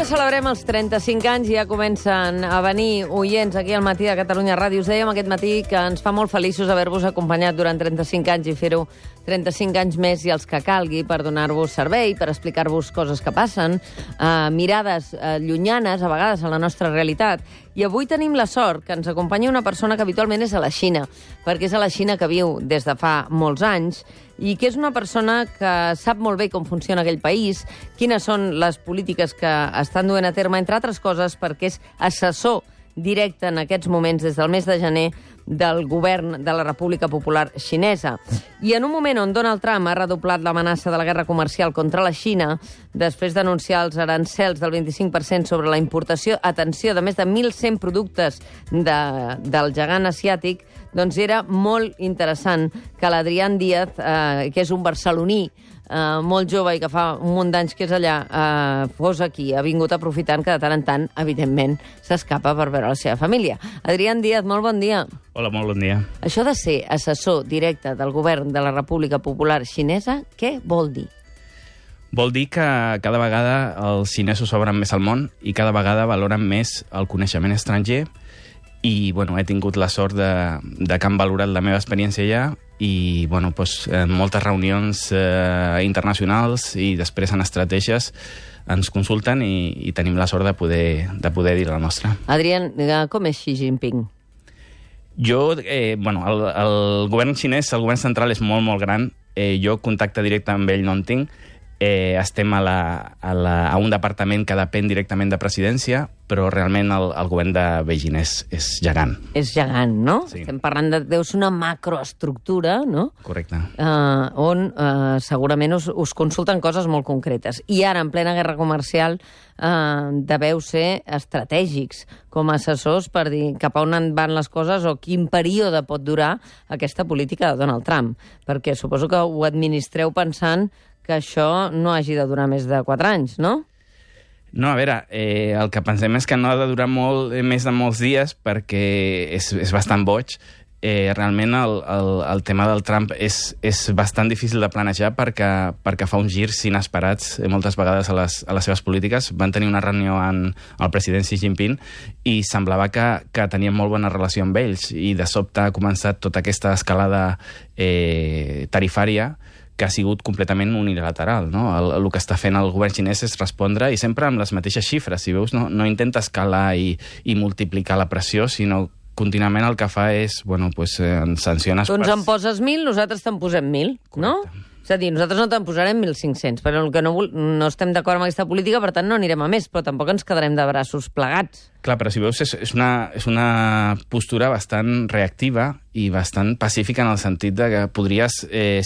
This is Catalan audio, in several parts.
celebrem els 35 anys i ja comencen a venir oients aquí al Matí de Catalunya Ràdio. Us dèiem aquest matí que ens fa molt feliços haver-vos acompanyat durant 35 anys i fer-ho 35 anys més i els que calgui per donar-vos servei, per explicar-vos coses que passen, mirades llunyanes, a vegades, a la nostra realitat. I avui tenim la sort que ens acompanya una persona que habitualment és a la Xina, perquè és a la Xina que viu des de fa molts anys i que és una persona que sap molt bé com funciona aquell país, quines són les polítiques que estan duent a terme, entre altres coses, perquè és assessor directe en aquests moments, des del mes de gener, del govern de la República Popular Xinesa. I en un moment on Donald Trump ha redoblat l'amenaça de la guerra comercial contra la Xina, després d'anunciar els arancels del 25% sobre la importació, atenció, de més de 1.100 productes del gegant asiàtic, doncs era molt interessant que l'Adrián Díaz, que és un barceloní, molt jove i que fa un munt d'anys que és allà, fos aquí, ha vingut aprofitant que de tant en tant, evidentment, s'escapa per veure la seva família. Adrián Díaz, molt bon dia. Hola, molt bon dia. Això de ser assessor directe del govern de la República Popular Xinesa, què vol dir? Vol dir que cada vegada els xinesos s'obren més al món i cada vegada valoren més el coneixement estranger i, bueno, he tingut la sort de que han valorat la meva experiència allà i, bueno, doncs, en moltes reunions internacionals i després en estratègies ens consulten i tenim la sort de poder dir la nostra. Adrián, com és Xi Jinping? Bueno, el govern xinès, el govern central és molt, molt gran. Jo contacte directe amb ell no en tinc. Estem a un departament que depèn directament de presidència, però realment el govern de Beijing és gegant. És gegant, no? Sí. Estem parlant deu ser una macroestructura, no? Correcte. On segurament us consulten coses molt concretes. I ara, en plena guerra comercial, deveu ser estratègics com a assessors per dir cap a on van les coses o quin període pot durar aquesta política de Donald Trump. Perquè suposo que ho administreu pensant que això no hagi de durar més de 4 anys, no? No, a veure, el que pensem és que no ha de durar més de molts dies perquè és bastant boig. Realment el tema del Trump és bastant difícil de planejar perquè fa uns girs inesperats moltes vegades a les seves polítiques. Van tenir una reunió amb el president Xi Jinping i semblava que tenien molt bona relació amb ells i de sobte ha començat tota aquesta escalada tarifària que ha sigut completament unilateral, no? El que està fent el govern xinès és respondre i sempre amb les mateixes xifres. Si veus, no intenta escalar i multiplicar la pressió, sinó contínuament el que fa és, bueno, pues, sanciones... Tu ens en poses 1.000, nosaltres te'n posem 1.000, no? És a dir, nosaltres no te'n posarem 1.500, però el que no estem d'acord amb aquesta política, per tant no anirem a més, però tampoc ens quedarem de braços plegats. Clar, però si veus, és una postura bastant reactiva i bastant pacífica en el sentit de que podries,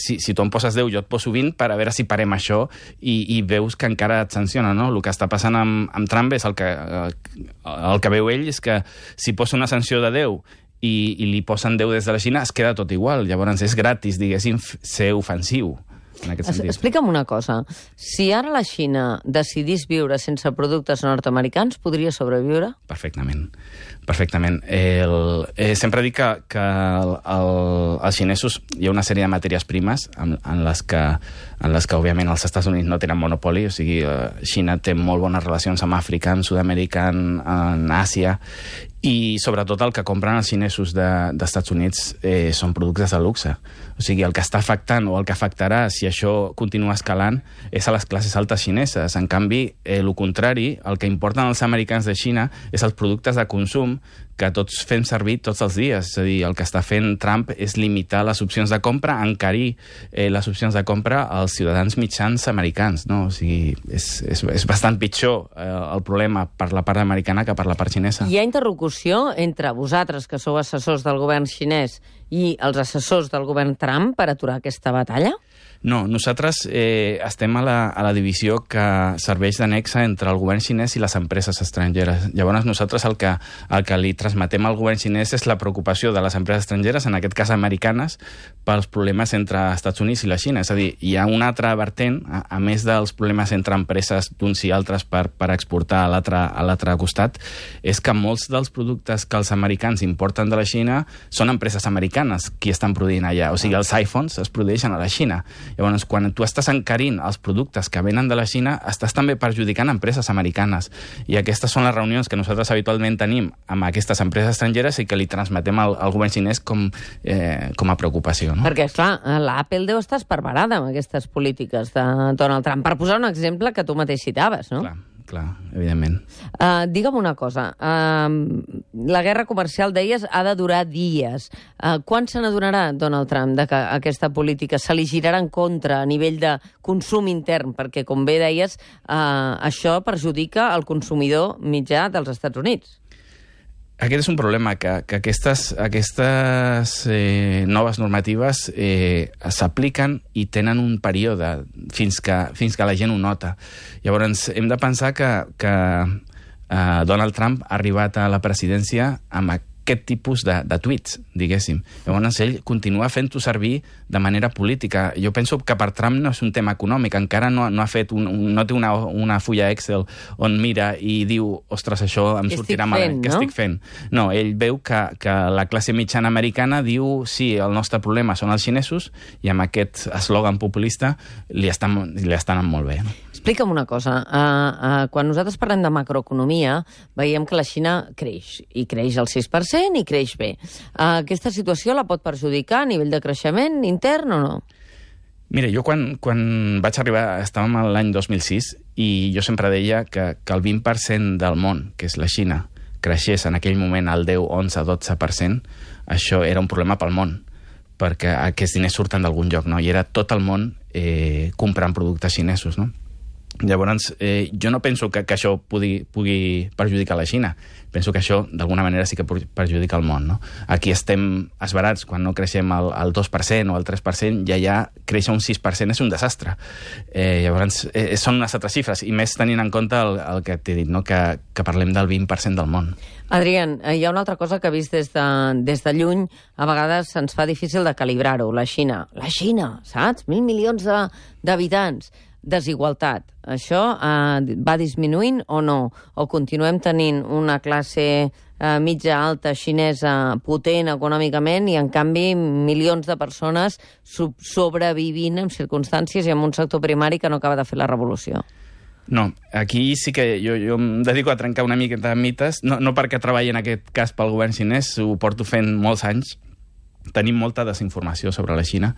si tu em poses 10, jo et poso 20 per a veure si parem això i veus que encara et sanciona, no? El que està passant amb Trump és el que veu ell és que si posa una sanció de 10 i li posen 10 des de la Xina, es queda tot igual. Llavors és gratis, diguéssim, ser ofensiu. Explica'm una cosa. Si ara la Xina decidís viure sense productes nord-americans, podria sobreviure? Perfectament. Sempre dic que els xinesos hi ha una sèrie de matèries primes en les que òbviament els Estats Units no tenen monopoli, o sigui, Xina té molt bones relacions amb Àfrica, amb Sud-amèrica, en Àsia, i sobretot el que compren els xinesos d'Estats Units són productes de luxe. O sigui, el que està afectant o el que afectarà si això continua escalant és a les classes altes xineses. En canvi, el contrari, el que importen els americans de Xina és els productes de consum que tots fem servir tots els dies. És a dir, el que està fent Trump és limitar les opcions de compra, encarir les opcions de compra als ciutadans mitjans americans, no? O sigui, és bastant pitjor el problema per la part americana que per la part xinesa. Hi ha interlocució entre vosaltres, que sou assessors del govern xinès, i els assessors del govern Trump per aturar aquesta batalla? No, nosaltres estem a la divisió que serveix d'annexa entre el govern xinès i les empreses estrangeres. Llavors nosaltres el que li transmetem al govern xinès és la preocupació de les empreses estrangeres, en aquest cas americanes, pels problemes entre Estats Units i la Xina. És a dir, hi ha una altra vertent, a més dels problemes entre empreses d'uns i altres per exportar a l'altre costat, és que molts dels productes que els americans importen de la Xina són empreses americanes qui estan produint allà. O sigui, els iPhones es produeixen a la Xina. Llavors, quan tu estàs encarint els productes que venen de la Xina, estàs també perjudicant empreses americanes. I aquestes són les reunions que nosaltres habitualment tenim amb aquestes empreses estrangeres i que li transmetem al govern xinès com a preocupació. No? Perquè, esclar, l'Apple deu estar esparverada amb aquestes polítiques de Donald Trump. Per posar un exemple que tu mateix citaves, no? Clar, evidentment. Digue'm una cosa. La guerra comercial, deies, ha de durar dies. Quan se n'adonarà Donald Trump de que aquesta política se li girarà en contra a nivell de consum intern? Perquè, com bé deies, això perjudica el consumidor mitjà dels Estats Units. Aquest és un problema, que aquestes noves normatives s'apliquen i tenen un període fins que la gent ho nota. Llavors, hem de pensar que Donald Trump ha arribat a la presidència amb aquest tipus de tuits, diguéssim. Llavors, ell continua fent-ho servir de manera política. Jo penso que per Trump no és un tema econòmic, encara no té una fulla Excel on mira i diu, ostres, això em sortirà malament. Què estic fent? No, ell veu que la classe mitjana americana diu, sí, el nostre problema són els xinesos, i amb aquest eslògan populista li estan anant molt bé. No? Explica'm una cosa. Quan nosaltres parlem de macroeconomia, veiem que la Xina creix, i creix al 6% i creix bé. Aquesta situació la pot perjudicar a nivell de creixement intern o no? Mira, jo quan vaig arribar, estàvem a l'any 2006, i jo sempre deia que el 20% del món, que és la Xina, creixés en aquell moment al 10, 11, 12%, això era un problema pel món, perquè aquests diners surten d'algun lloc, no? I era tot el món comprant productes xinesos, no? Llavors, jo no penso que això pugui perjudicar la Xina. Penso que això, d'alguna manera, sí que perjudica el món. No? Aquí estem esbarats, quan no creixem al 2% o al 3%, ja créixer un 6% és un desastre. Llavors, són unes altres xifres, i més tenint en compte el que t'he dit, no? que parlem del 20% del món. Adrián, hi ha una altra cosa que he vist des de lluny, a vegades se'ns fa difícil de calibrar-ho, la Xina. La Xina, saps? 1.000 milions d'habitants. Desigualtat. Això va disminuint o no? O continuem tenint una classe mitja alta xinesa potent econòmicament i, en canvi, milions de persones sobrevivint en circumstàncies i en un sector primari que no acaba de fer la revolució? No, aquí sí que jo em dedico a trencar una mica de mites, no perquè treballi en aquest cas pel govern xinès, ho porto fent molts anys. Tenim molta desinformació sobre la Xina.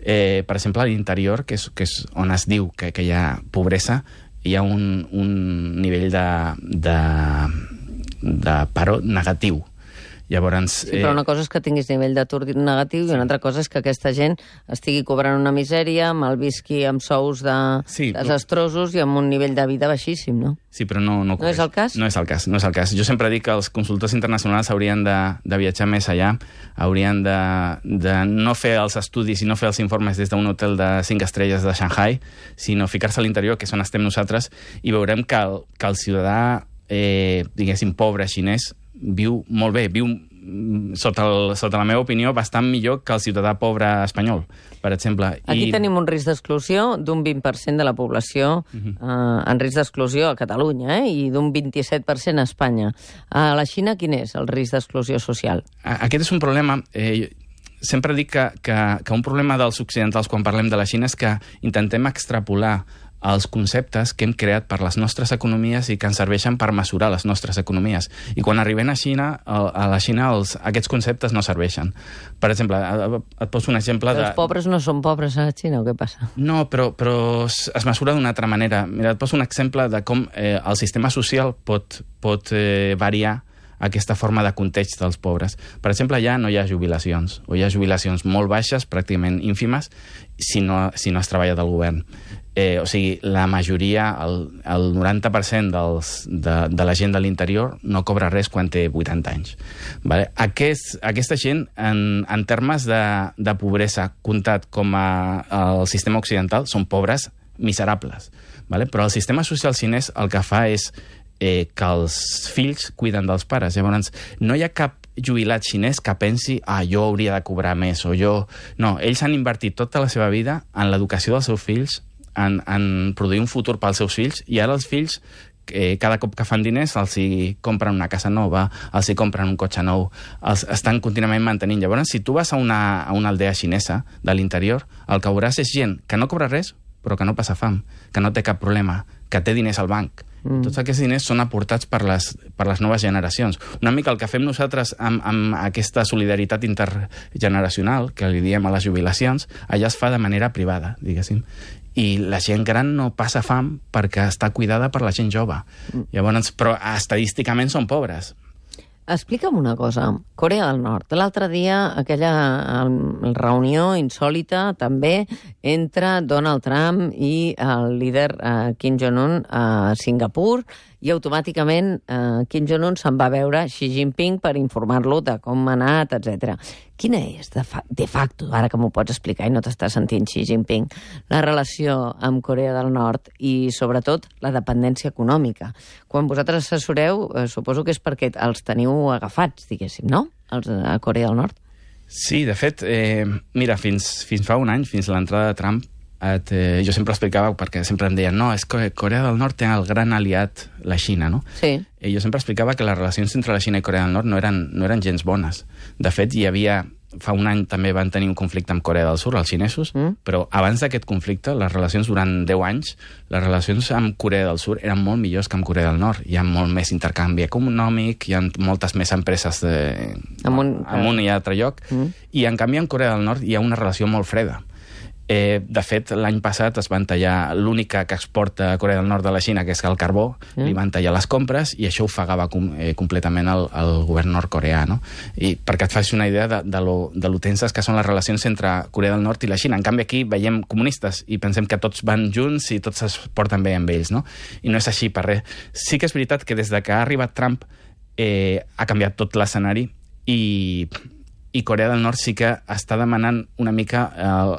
Per exemple, a l'interior, que és on es diu que hi ha pobresa, hi ha un nivell de paro negatiu. Llavors, sí, però una cosa és que tinguis nivell d'atur negatiu i una altra cosa és que aquesta gent estigui cobrant una misèria, malvisqui amb sous desastrosos i amb un nivell de vida baixíssim, no? Sí, però no és el cas? No és el cas. Jo sempre dic que els consultors internacionals haurien de viatjar més allà, haurien de no fer els estudis i no fer els informes des d'un hotel de 5 estrelles de Shanghai, sinó ficar-se a l'interior, que és on estem nosaltres, i veurem que el ciutadà, diguéssim, pobre xinès, viu molt bé, viu, sota la meva opinió, bastant millor que el ciutadà pobre espanyol, per exemple. Aquí tenim un risc d'exclusió d'un 20% de la població en risc d'exclusió a Catalunya, i d'un 27% a Espanya. A la Xina, quin és el risc d'exclusió social? Aquest és un problema... Sempre dic que un problema dels occidentals quan parlem de la Xina és que intentem extrapolar els conceptes que hem creat per les nostres economies i que ens serveixen per mesurar les nostres economies. I quan arribem a la Xina aquests conceptes no serveixen. Per exemple, et poso un exemple de... Els pobres no són pobres a la Xina, o què passa? No, però es mesura d'una altra manera. Mira, et poso un exemple de com el sistema social pot variar aquesta forma de context dels pobres. Per exemple, allà no hi ha jubilacions, o hi ha jubilacions molt baixes, pràcticament ínfimes, si no es treballa del govern. O sigui, la majoria, el 90% de la gent de l'interior no cobra res quan té 80 anys. Vale? Aquesta gent, en termes de pobresa, comptat com el sistema occidental, són pobres miserables. Vale? Però el sistema social xinès el que fa és que els fills cuiden dels pares. Llavors, no hi ha cap jubilat xinès que pensi jo hauria de cobrar més, o jo... No, ells han invertit tota la seva vida en l'educació dels seus fills, en produir un futur pels seus fills, i ara els fills cada cop que fan diners els hi compren una casa nova, els hi compren un cotxe nou, els estan contínuament mantenint. Llavors, si tu vas a una aldea xinesa de l'interior, el que veuràs és gent que no cobra res, però que no passa fam, que no té cap problema, que té diners al banc. Tots aquests diners són aportats per les noves generacions. Una mica el que fem nosaltres amb aquesta solidaritat intergeneracional, que li diem a les jubilacions, allà es fa de manera privada, diguéssim. I la gent gran no passa fam perquè està cuidada per la gent jove. Llavors, però estadísticament són pobres. Explica'm una cosa. Corea del Nord. L'altre dia, aquella reunió insòlita, també, entre Donald Trump i el líder Kim Jong-un a Singapur, i automàticament Kim Jong-un se'n va veure Xi Jinping per informar-lo de com ha anat, etc. Quina és, de facto, ara que m'ho pots explicar i no t'està sentint Xi Jinping, la relació amb Corea del Nord i, sobretot, la dependència econòmica? Quan vosaltres assessoreu, suposo que és perquè els teniu agafats, diguéssim, no?, els a Corea del Nord. Sí, de fet, mira, fins fa un any, fins l'entrada de Trump, jo sempre explicava, perquè sempre em deien, no, és que Corea del Nord té el gran aliat, la Xina, no? Sí. Jo sempre explicava que les relacions entre la Xina i Corea del Nord no eren gens bones. De fet, hi havia... Fa un any també van tenir un conflicte amb Corea del Sur, els xinesos, però abans d'aquest conflicte, les relacions durant 10 anys, les relacions amb Corea del Sur eren molt millors que amb Corea del Nord. Hi ha molt més intercanvi econòmic, hi ha moltes més empreses amunt i a altre lloc, i en canvi en Corea del Nord hi ha una relació molt freda. De fet, l'any passat es van tallar l'única que exporta a Corea del Nord de la Xina, que és el carbó, li van tallar les compres i això ofegava completament el govern nord-coreà, no? I perquè et facis una idea de lo tenses que són les relacions entre Corea del Nord i la Xina. En canvi, aquí veiem comunistes i pensem que tots van junts i tots es porten bé amb ells, no? I no és així per res. Sí que és veritat que des de que ha arribat Trump ha canviat tot l'escenari i Corea del Nord sí que està demanant una mica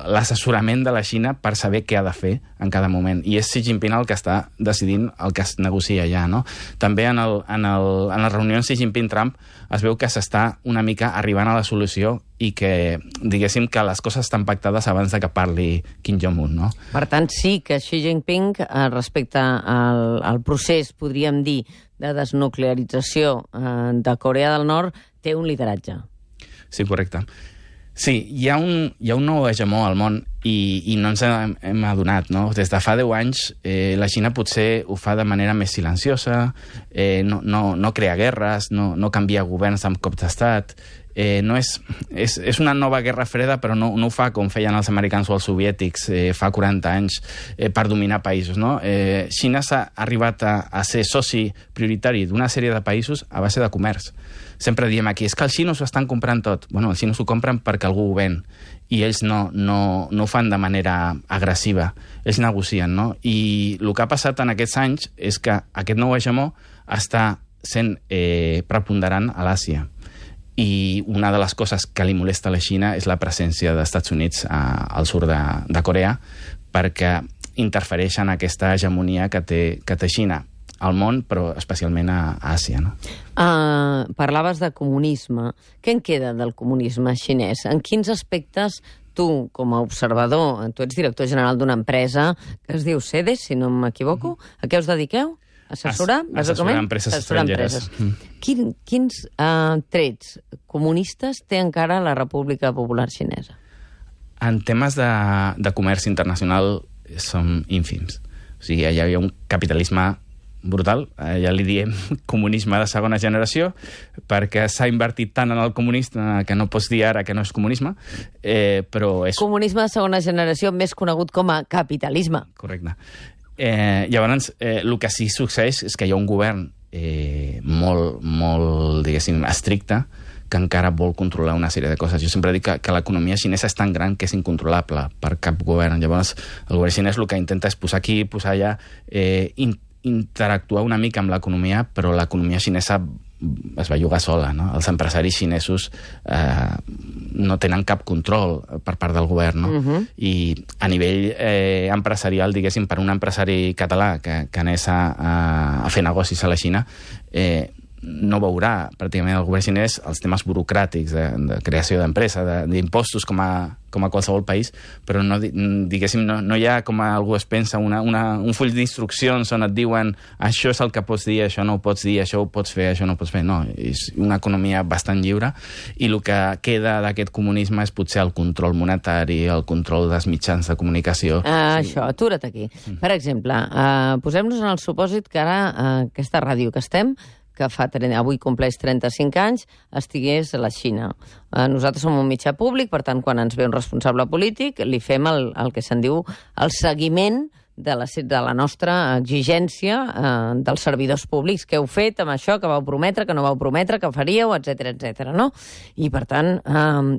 l'assessorament de la Xina per saber què ha de fer en cada moment. I és Xi Jinping el que està decidint el que es negocia allà, no? També en les reunions Xi Jinping-Trump es veu que s'està una mica arribant a la solució i que, diguéssim, que les coses estan pactades abans de que parli Kim Jong-un, no? Per tant, sí que Xi Jinping, respecte al procés, podríem dir, de desnuclearització de Corea del Nord, té un lideratge. Sí, correcte. Sí, hi ha un nou hegemó al món i no ens hem adonat, no? Des de fa 10 anys la Xina potser ho fa de manera més silenciosa, no crea guerres, no canvia governs amb cops d'estat, és una nova guerra freda, però no ho fa com feien els americans o els soviètics fa 40 anys per dominar països, no? Xina s'ha arribat a ser soci prioritari d'una sèrie de països a base de comerç. Sempre diem aquí, és que els xinos ho estan comprant tot. Bueno, els xinos ho compren perquè algú ho ven i ells no ho fan de manera agressiva. Ells negocien, no? I el que ha passat en aquests anys és que aquest nou hegemó està sent preponderant a l'Àsia. I una de les coses que li molesta a la Xina és la presència dels Estats Units al sud de Corea perquè interfereix en aquesta hegemonia que té Xina al món, però especialment a Àsia, no? Parlaves de comunisme. Què en queda del comunisme xinès? En quins aspectes tu, com a observador, tu ets director general d'una empresa que es diu CEDES, si no m'equivoco, a què us dediqueu? Assessorar empreses estrangeres. Quins trets comunistes té encara la República Popular Xinesa? En temes de comerç internacional som ínfims. O sigui, hi havia un capitalisme brutal, ja li diem comunisme de segona generació, perquè s'ha invertit tant en el comunisme que no pots dir ara que no és comunisme, però és... Comunisme de segona generació, més conegut com a capitalisme. Correcte. Llavors, el que sí succeeix és que hi ha un govern molt, diguéssim, estricte, que encara vol controlar una sèrie de coses. Jo sempre dic que l'economia xinesa és tan gran que és incontrolable per cap govern. Llavors, el govern xinès el que intenta és posar aquí, posar allà, interactuar una mica amb l'economia, però l'economia xinesa es va jugar sola, no? Els empresaris xinesos no tenen cap control per part del govern, no? I a nivell empresarial, diguéssim, per un empresari català que anés a fer negocis a la Xina, no veurà pràcticament el govern xinès els temes burocràtics de creació d'empresa, d'impostos com a qualsevol país, però diguéssim, no hi ha, com algú es pensa, un full d'instruccions on et diuen això és el que pots dir, això no ho pots dir, això ho pots fer, això no ho pots fer. No, és una economia bastant lliure i el que queda d'aquest comunisme és potser el control monetari, el control dels mitjans de comunicació. Això, atura't aquí. Per exemple, posem-nos en el supòsit que ara aquesta ràdio que estem, que avui compleix 35 anys, estigués a la Xina. Nosaltres som un mitjà públic, per tant, quan ens ve un responsable polític, li fem el que se'n diu el seguiment de la nostra exigència dels servidors públics. Què heu fet amb això, que vau prometre, que no vau prometre, que faríeu, etc, no? I, per tant,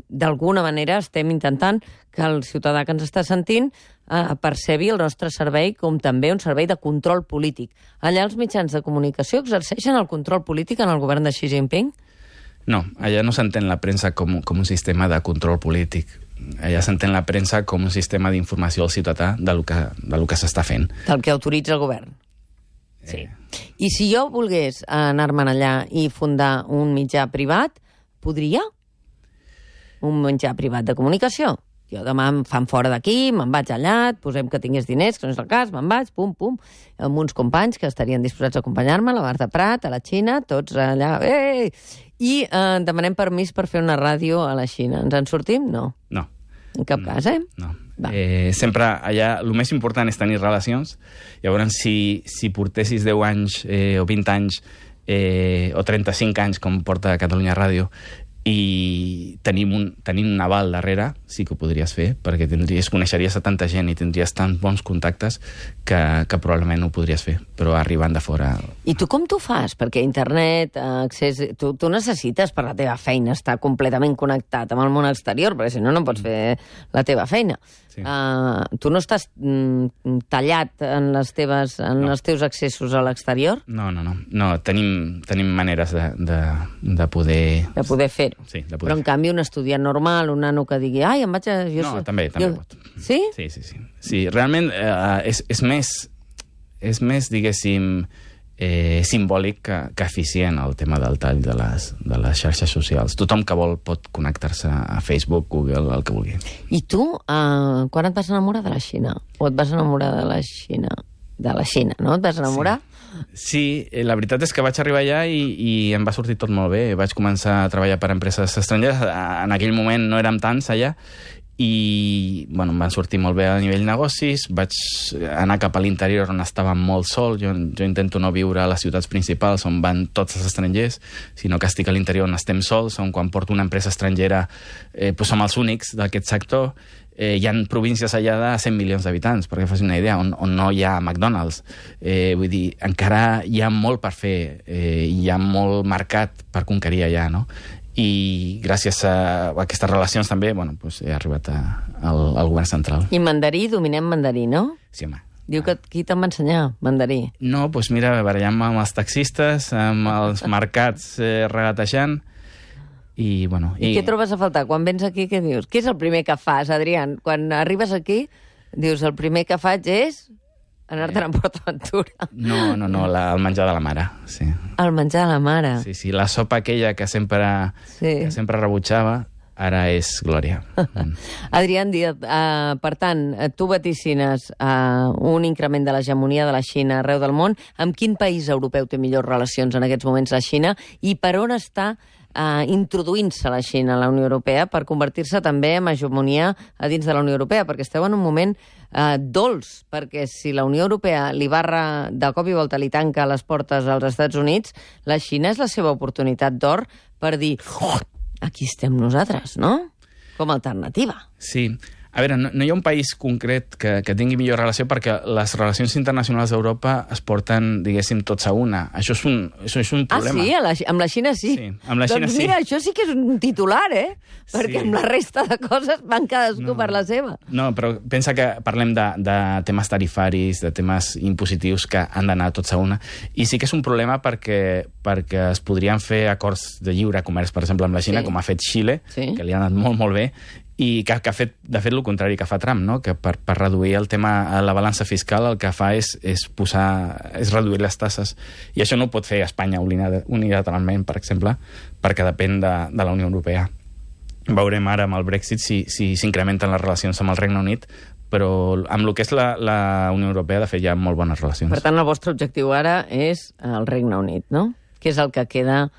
d'alguna manera estem intentant que el ciutadà que ens està sentint percebi el nostre servei com també un servei de control polític. Allà els mitjans de comunicació exerceixen el control polític en el govern de Xi Jinping? No, allà no s'entén la premsa com un sistema de control polític. Allà s'entén la premsa com un sistema d'informació al ciutadà del que s'està fent. Del que autoritza el govern. Sí. I si jo volgués anar-me'n allà i fundar un mitjà privat, podria? Un mitjà privat de comunicació? Jo demà em fan fora d'aquí, me'n vaig allà, posem que tingués diners, que no és el cas, me'n vaig, pum, amb uns companys que estarien disposats a acompanyar-me, la Marta Prat, a la Xina, tots allà, i demanem permís per fer una ràdio a la Xina. Ens en sortim? No. No. En cap cas, No. Sempre allà el més important és tenir relacions. Llavors, si portessis 10 anys o 20 anys o 35 anys, com porta Catalunya Ràdio, i tenint un aval darrere, sí que ho podries fer, perquè coneixeries a tanta gent i tindries tan bons contactes que probablement ho podries fer, però arribant de fora... I tu com t'ho fas? Perquè internet, accés... Tu necessites per la teva feina estar completament connectat amb el món exterior, perquè si no, no pots fer la teva feina. Sí. Tu no estàs tallat en els teus accessos a l'exterior? No. Tenim maneres de poder... De poder fer-ho. Sí, de poder. Però, en canvi, un estudiant normal, un nano que digui ai, em vaig a... No, també pot. Sí? Sí, realment és més, diguéssim, simbòlic que eficient el tema del tall de les xarxes socials. Tothom que vol pot connectar-se a Facebook, Google, el que vulgui. I tu, quan et vas enamorar de la Xina? O et vas enamorar de la Xina? De la Xina, no? Et vas enamorar? Sí, la veritat és que vaig arribar allà i em va sortir tot molt bé. Vaig començar a treballar per empreses estrangeres. En aquell moment no érem tants allà i em van sortir molt bé a nivell negocis. Vaig anar cap a l'interior on estava molt sol. Jo intento no viure a les ciutats principals on van tots els estrangers, sinó que estic a l'interior on estem sols, on quan porto una empresa estrangera som els únics d'aquest sector. Hi ha províncies allà de 100 milions d'habitants, perquè fas una idea, on no hi ha McDonald's. Vull dir, encara hi ha molt per fer, hi ha molt mercat per conquerir allà, no? I gràcies a aquestes relacions també, he arribat al govern central. I mandarí, dominem mandarí, no? Sí, home. Diu que qui te'n va ensenyar, mandarí? No, mira, barallant-me amb els taxistes, amb els mercats regatejant, I què trobes a faltar? Quan vens aquí, què dius? Què és el primer que fas, Adrián? Quan arribes aquí, dius, el primer que faig és anar-te'n a PortAventura. No, el menjar de la mare, sí. El menjar de la mare. Sí, la sopa aquella que sempre rebutjava, ara és glòria. Adrián Díaz, per tant, tu vaticines un increment de l'hegemonia de la Xina arreu del món. Amb quin país europeu té millors relacions en aquests moments la Xina? I per on està introduint-se la Xina a la Unió Europea per convertir-se també en hegemonia a dins de la Unió Europea? Perquè esteu en un moment dolç, perquè si la Unió Europea li barra de cop i volta, li tanca les portes als Estats Units, la Xina és la seva oportunitat d'or per dir aquí estem nosaltres, no? Com a alternativa. Sí. A veure, no hi ha un país concret que tingui millor relació perquè les relacions internacionals d'Europa es porten, diguéssim, tots a una. Això és un problema. Ah, sí? Amb la Xina sí? Sí, amb la Xina sí. Doncs mira, això sí que és un titular, Perquè amb la resta de coses van cadascú per la seva. No, però pensa que parlem de temes tarifaris, de temes impositius que han d'anar tots a una. I sí que és un problema perquè es podrien fer acords de lliure comerç, per exemple, amb la Xina, com ha fet Xile, que li ha anat molt, molt bé, i que ha fet, de fet, el contrari que fa Trump, no? Que per reduir el tema, la balança fiscal, el que fa és reduir les tasses. I això no ho pot fer Espanya unilateralment, per exemple, perquè depèn de la Unió Europea. Veurem ara amb el Brexit si s'incrementen les relacions amb el Regne Unit, però amb el que és la Unió Europea, de fet, hi ha molt bones relacions. Per tant, el vostre objectiu ara és el Regne Unit, no? Que és el que queda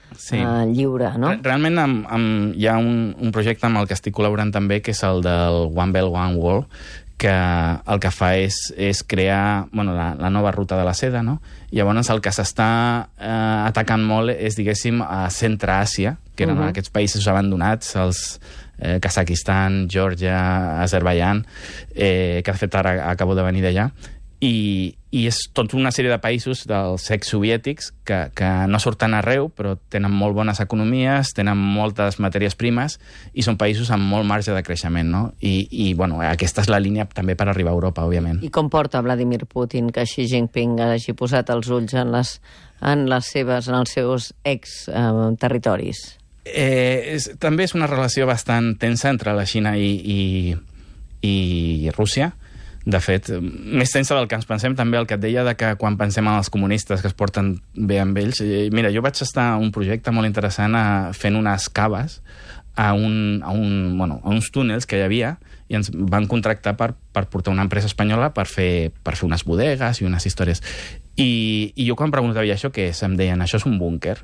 lliure, no? Realment hi ha un projecte amb el que estic col·laborant també, que és el del One Belt, One Wall, que el que fa és crear la nova ruta de la seda, no? I llavors el que s'està atacant molt és, diguéssim, a Centre-Àsia, que eren aquests països abandonats, els Kazakhstan, Geòrgia, Azerbaidjan, que de fet ara acabo de venir d'allà, i és tota una sèrie de països dels exsoviètics que no surten arreu, però tenen molt bones economies, tenen moltes matèries primes i són països amb molt marge de creixement, no? I aquesta és la línia també per arribar a Europa, òbviament. I com porta Vladimir Putin que Xi Jinping hagi posat els ulls en els seus ex-territoris? També és una relació bastant tensa entre la Xina i Rússia. De fet, més tensa del que ens pensem, també el que et deia de que quan pensem en els comunistes que es porten bé amb ells... Mira, jo vaig estar a un projecte molt interessant fent unes caves a uns túnels que hi havia i ens van contractar per portar una empresa espanyola per fer unes bodegues i unes històries. I jo quan preguntava això què és, em deien, això és un búnquer.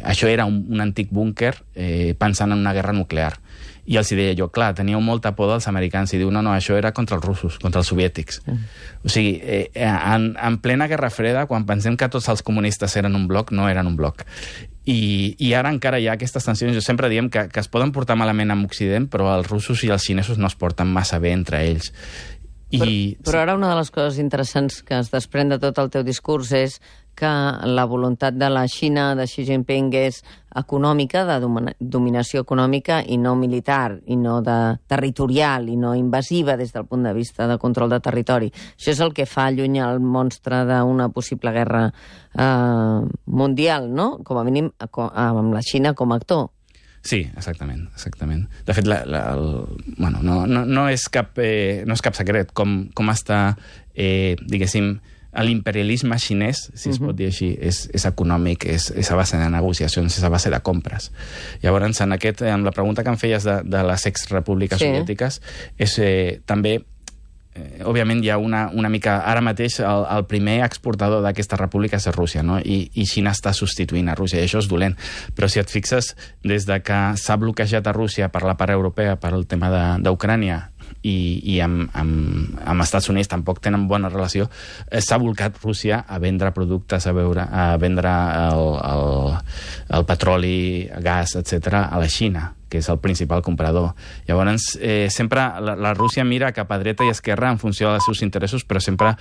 Això era un antic búnquer pensant en una guerra nuclear. I els deia jo, clar, teníeu molta por dels americans, i diu, no, això era contra els russos, contra els soviètics. O sigui, en plena Guerra Freda, quan pensem que tots els comunistes eren un bloc, no eren un bloc. I ara encara hi ha aquestes tensions. Jo sempre diem que es poden portar malament amb Occident, però els russos i els xinesos no es porten massa bé entre ells. Però ara una de les coses interessants que es desprèn de tot el teu discurs és que la voluntat de la Xina, de Xi Jinping, és econòmica, de dominació econòmica i no militar, i no territorial, i no invasiva des del punt de vista de control de territori. Això és el que fa allunyar el monstre d'una possible guerra mundial, no? Com a mínim amb la Xina com a actor. Sí, exactament. De fet, no és cap secret com està, diguéssim, l'imperialisme xinès, si es pot dir així, és econòmic, és a base de negociacions, és a base de compres. Llavors, amb la pregunta que em feies de les exrepúbliques soviètiques, és també... òbviament hi ha una mica... Ara mateix el primer exportador d'aquestes repúbliques és Rússia, no? I Xina està substituint a Rússia, i això és dolent. Però si et fixes, des de que s'ha bloquejat a Rússia per la part europea, per el tema d'Ucrània, i amb Estats Units tampoc tenen bona relació, s'ha volcat Rússia a vendre productes, a vendre el petroli, gas, etc., a la Xina, que és el principal comprador. Llavors, sempre la Rússia mira cap a dreta i esquerra en funció dels seus interessos, però sempre,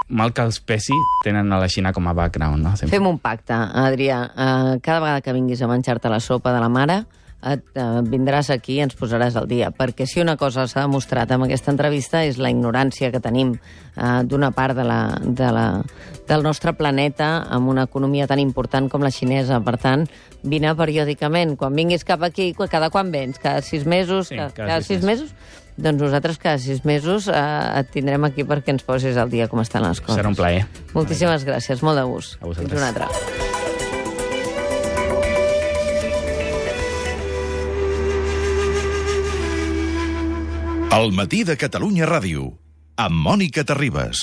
mal que els pesi, tenen a la Xina com a background. No? Fem un pacte, Adrià. Cada vegada que vinguis a menjar-te la sopa de la mare, vindràs aquí i ens posaràs al dia, perquè si una cosa s'ha demostrat amb aquesta entrevista és la ignorància que tenim d'una part del nostre planeta amb una economia tan important com la xinesa. Per tant, vine periòdicament. Quan vinguis cap aquí, cada quan vens? Cada 6 mesos? Sí, cada 6 mesos? Doncs nosaltres cada 6 mesos et tindrem aquí perquè ens posis al dia com estan les coses. Serà un plaer. Moltíssimes gràcies, molt de gust. A vosaltres. Fins una altra. El matí de Catalunya Ràdio, amb Mònica Terribas.